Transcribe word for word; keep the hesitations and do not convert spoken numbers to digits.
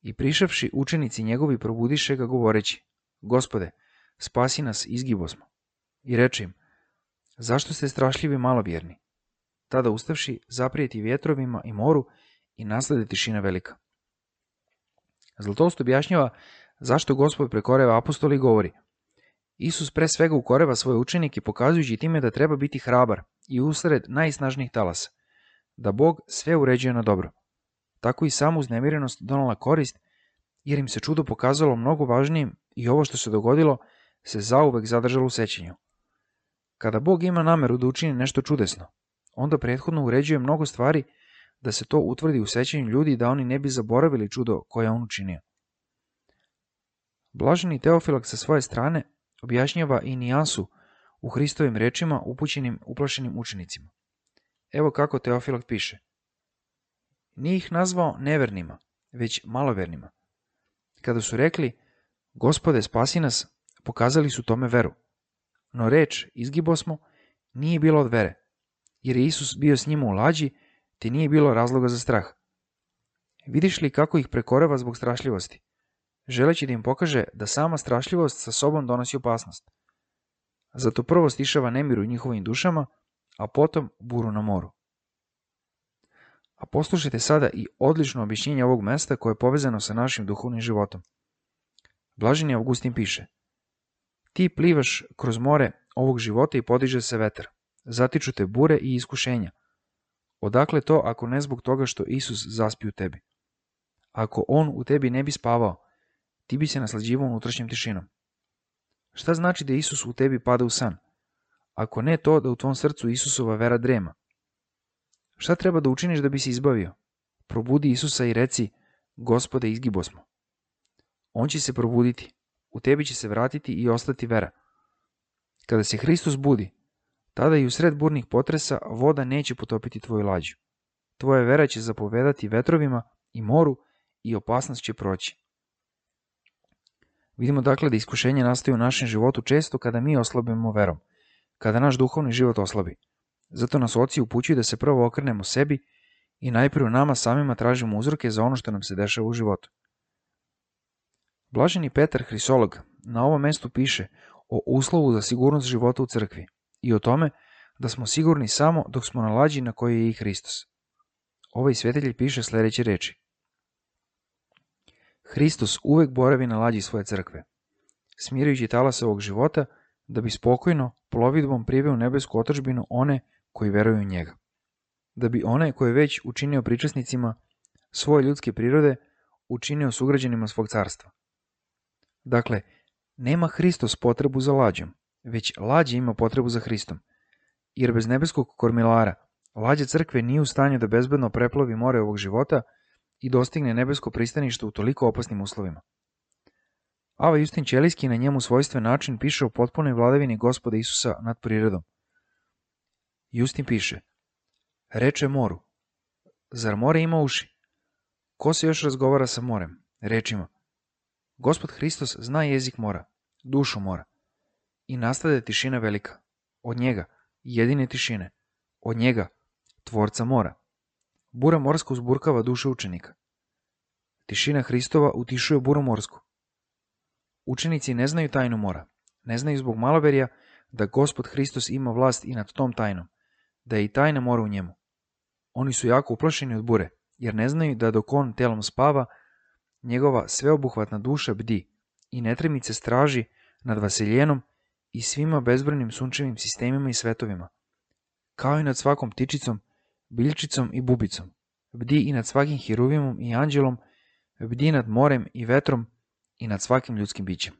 I prišavši učenici njegovi probudiše ga govoreći: Gospode, spasi nas, izgibosmo. I reče im: Zašto ste strašljivi malovjerni? Tada ustavši, zaprijeti vjetrovima i moru i naslede tišina velika. Zlatoust objašnjava zašto Gospod prekoreva apostoli i govori: Isus pre svega ukoreva svoje učenike pokazujući time da treba biti hrabar i usred najsnažnijih talasa, da Bog sve uređuje na dobro. Tako i samu uznemirenost donala korist, jer im se čudo pokazalo mnogo važnijim i ovo što se dogodilo se zauvek zadržalo u sećanju. Kada Bog ima nameru da učini nešto čudesno, onda prethodno uređuje mnogo stvari da se to utvrdi u sećanju ljudi da oni ne bi zaboravili čudo koje je on učinio. Blaženi Teofilak sa svoje strane objašnjava i nijansu u Hristovim rečima upućenim uplašenim učenicima. Evo kako Teofilak piše: Nije ih nazvao nevernima, već malovernima. Kada su rekli: Gospode, spasi nas, pokazali su tome veru. No reč izgibosmo nije bilo od vere, jer je Isus bio s njima u lađi, te nije bilo razloga za strah. Vidiš li kako ih prekoreva zbog strašljivosti, želeći da im pokaže da sama strašljivost sa sobom donosi opasnost. Zato prvo stišava nemir u njihovim dušama, a potom buru na moru. A poslušajte sada i odlično objašnjenje ovog mesta koje je povezano sa našim duhovnim životom. Blaženi Augustin piše: Ti plivaš kroz more ovog života i podiže se vetar. Zatiču te bure i iskušenja. Odakle to ako ne zbog toga što Isus zaspi u tebi? Ako on u tebi ne bi spavao, ti bi se naslađivao unutrašnjom tišinom. Šta znači da Isus u tebi pada u san? Ako ne to da u tvom srcu Isusova vera drema. Šta treba da učiniš da bi se izbavio? Probudi Isusa i reci: Gospode, izgibosmo. On će se probuditi, u tebi će se vratiti i ostati vera. Kada se Hristos budi, tada i u sred burnih potresa voda neće potopiti tvoju lađu. Tvoja vera će zapovedati vetrovima i moru i opasnost će proći. Vidimo dakle da iskušenje nastaje u našem životu često kada mi oslabimo verom, kada naš duhovni život oslabi. Zato nas oci upućuju da se prvo okrenemo sebi i najprije u nama samima tražimo uzroke za ono što nam se dešava u životu. Blaženi Petar Hrisolog na ovom mestu piše o uslovu za sigurnost života u crkvi i o tome da smo sigurni samo dok smo na lađi na kojoj je i Hristos. Ovaj svjetelj piše sljedeće reči: Hristos uvek boravi na lađi svoje crkve, smirujući talase ovog života, da bi spokojno plovidbom priveo u nebesku otadžbinu one koji veruju u njega. Da bi one koje već učinio pričasnicima svoje ljudske prirode učinio sugrađanima svog carstva. Dakle, nema Hristos potrebu za lađom, već lađa ima potrebu za Hristom, jer bez nebeskog kormilara lađa crkve nije u stanju da bezbedno preplovi more ovog života i dostigne nebesko pristanište u toliko opasnim uslovima. Ava Justin Ćelijski na njemu svojstven način piše o potpunoj vladavini Gospoda Isusa nad prirodom. Justin piše: Reče moru: Zar more ima uši? Ko se još razgovara sa morem? Rečima: Gospod Hristos zna jezik mora, dušu mora. I nastade tišina velika. Od njega, jedine tišine. Od njega, tvorca mora. Bura morska uzburkava duše učenika. Tišina Hristova utišuje buru morsku. Učenici ne znaju tajnu mora. Ne znaju zbog maloverja da Gospod Hristos ima vlast i nad tom tajnom, da je i tajna mora u njemu. Oni su jako uplašeni od bure, jer ne znaju da dok on telom spava, njegova sveobuhvatna duša bdi i netremice straži nad vaseljenom i svima bezbrojnim sunčevim sistemima i svetovima, kao i nad svakom ptičicom, biljčicom i bubicom. Bdi i nad svakim hiruvimom i anđelom, bdi nad morem i vetrom i nad svakim ljudskim bićem.